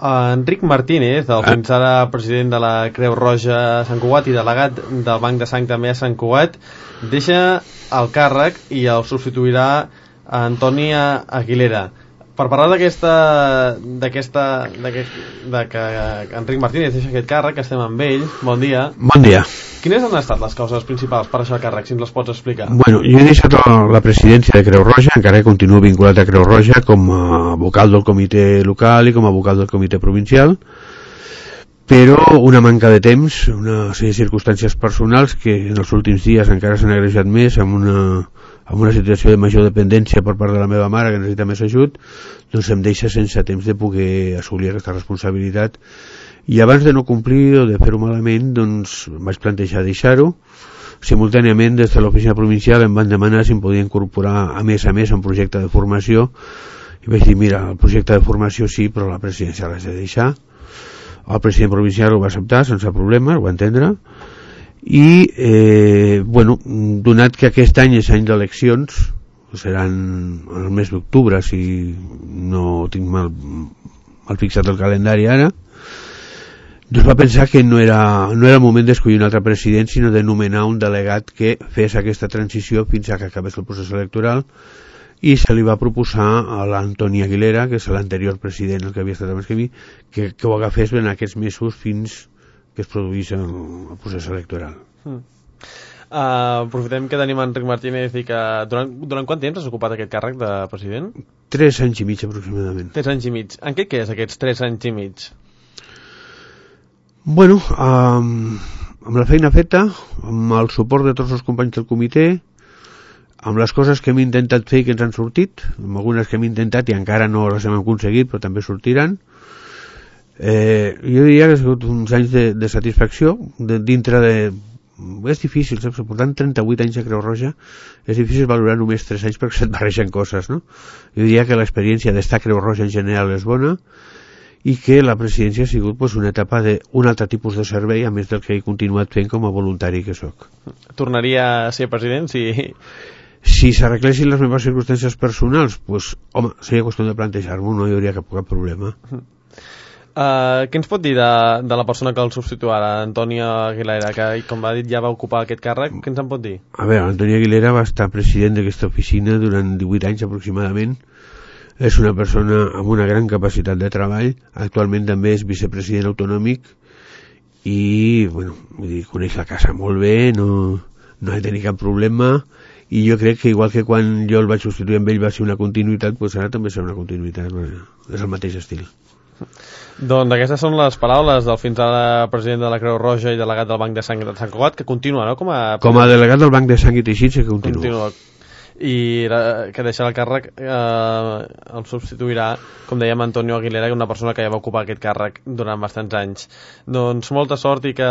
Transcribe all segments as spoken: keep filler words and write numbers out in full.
Enric Martínez, el fins ara president de la Creu Roja Sant Cugat i delegat del Banc de Sang també a Sant Cugat, deixa el càrrec i el substituirà Antoni Aguilera. Per parlar d'aquesta d'aquesta de que Enric Martínez deixa aquest càrrec, estem amb ell. Bon dia. Bon dia. Quines han estat les causes principals per deixar el càrrec, si ens les pots explicar? Bueno, jo he deixat la presidència de Creu Roja, encara que continuo vinculat a Creu Roja com a vocal del comitè local i com a vocal del comitè provincial, però una manca de temps, una sèrie de circumstàncies personals que en els últims dies encara s'han agrejat més amb una, amb una situació de major dependència per part de la meva mare que necessita més ajut, doncs em deixa sense temps de poder assolir aquesta responsabilitat. I abans de no complir o de fer-ho malament, doncs vaig plantejar deixar-ho. Simultàniament, des de l'oficina provincial em van demanar si em podia incorporar a més a més un projecte de formació i vaig dir, mira, el projecte de formació sí, però la presidència l'has de deixar. El president provincial ho va acceptar sense problemes, ho va entendre, i eh, bueno, donat que aquest any és any d'eleccions, seran el mes d'octubre si no tinc mal, mal fixat el calendari ara, doncs va pensar que no era, no era el moment d'escollir un altre president, sinó de nomenar un delegat que fes aquesta transició fins a que acabés el procés electoral, i se li va proposar a l'Antoni Aguilera, que és l'anterior president, el que havia estat abans que mi, que, que ho agafés en aquests mesos fins que es produís el, el procés electoral. Mm. Uh, aprofitem que tenim Enric Martínez i que durant, durant quant temps has ocupat aquest càrrec de president? Tres anys i mig aproximadament. Tres anys i mig. En què és aquests tres anys i mig? Bueno, um, amb la feina feta, amb el suport de tots els companys del comitè, amb les coses que hem intentat fer i que ens han sortit, amb algunes que hem intentat i encara no les hem aconseguit però també sortiran, eh, jo diria que ha sigut uns anys de, de satisfacció de, dintre de... és difícil, saps? Portant trenta-vuit anys a Creu Roja és difícil valorar només tres anys perquè se't barregen coses, no? Jo diria que l'experiència d'estar a Creu Roja en general és bona i que la presidència ha sigut pues, una etapa d'un altre tipus de servei a més del que he continuat fent com a voluntari que sóc. Tornaria a ser president si... Si s'arreglessin les meves circumstàncies personals, pues, home, seria qüestió de plantejar-m'ho, no hi hauria cap, cap problema. Uh, què ens pot dir de, de la persona que el substituirà, Antoni Aguilera, que, com va dir, ja va ocupar aquest càrrec? Què ens en pot dir? A veure, Antoni Aguilera va estar president d'aquesta oficina durant divuit anys aproximadament. És una persona amb una gran capacitat de treball, actualment també és vicepresident autonòmic i, bueno, vull dir, coneix la casa molt bé, no, no ha de tenir cap problema. I jo crec que igual que quan jo el vaig substituir amb ell va ser una continuïtat, doncs ara també serà una continuïtat, és el mateix estil. Doncs aquestes són les paraules del fins ara president de la Creu Roja i delegat del Banc de Sang de Sant Cugat, que continua, no? Com a, Com a delegat del Banc de Sang i Teixits, que continua. continua. I la, que deixarà el càrrec, eh, el substituirà, com dèiem, Antonio Aguilera, una persona que ja va ocupar aquest càrrec durant bastants anys. Doncs molta sort i, que,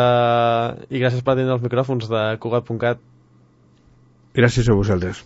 i gràcies per atendre els micròfons de Cugat punt cat. Gràcies a vosaltres.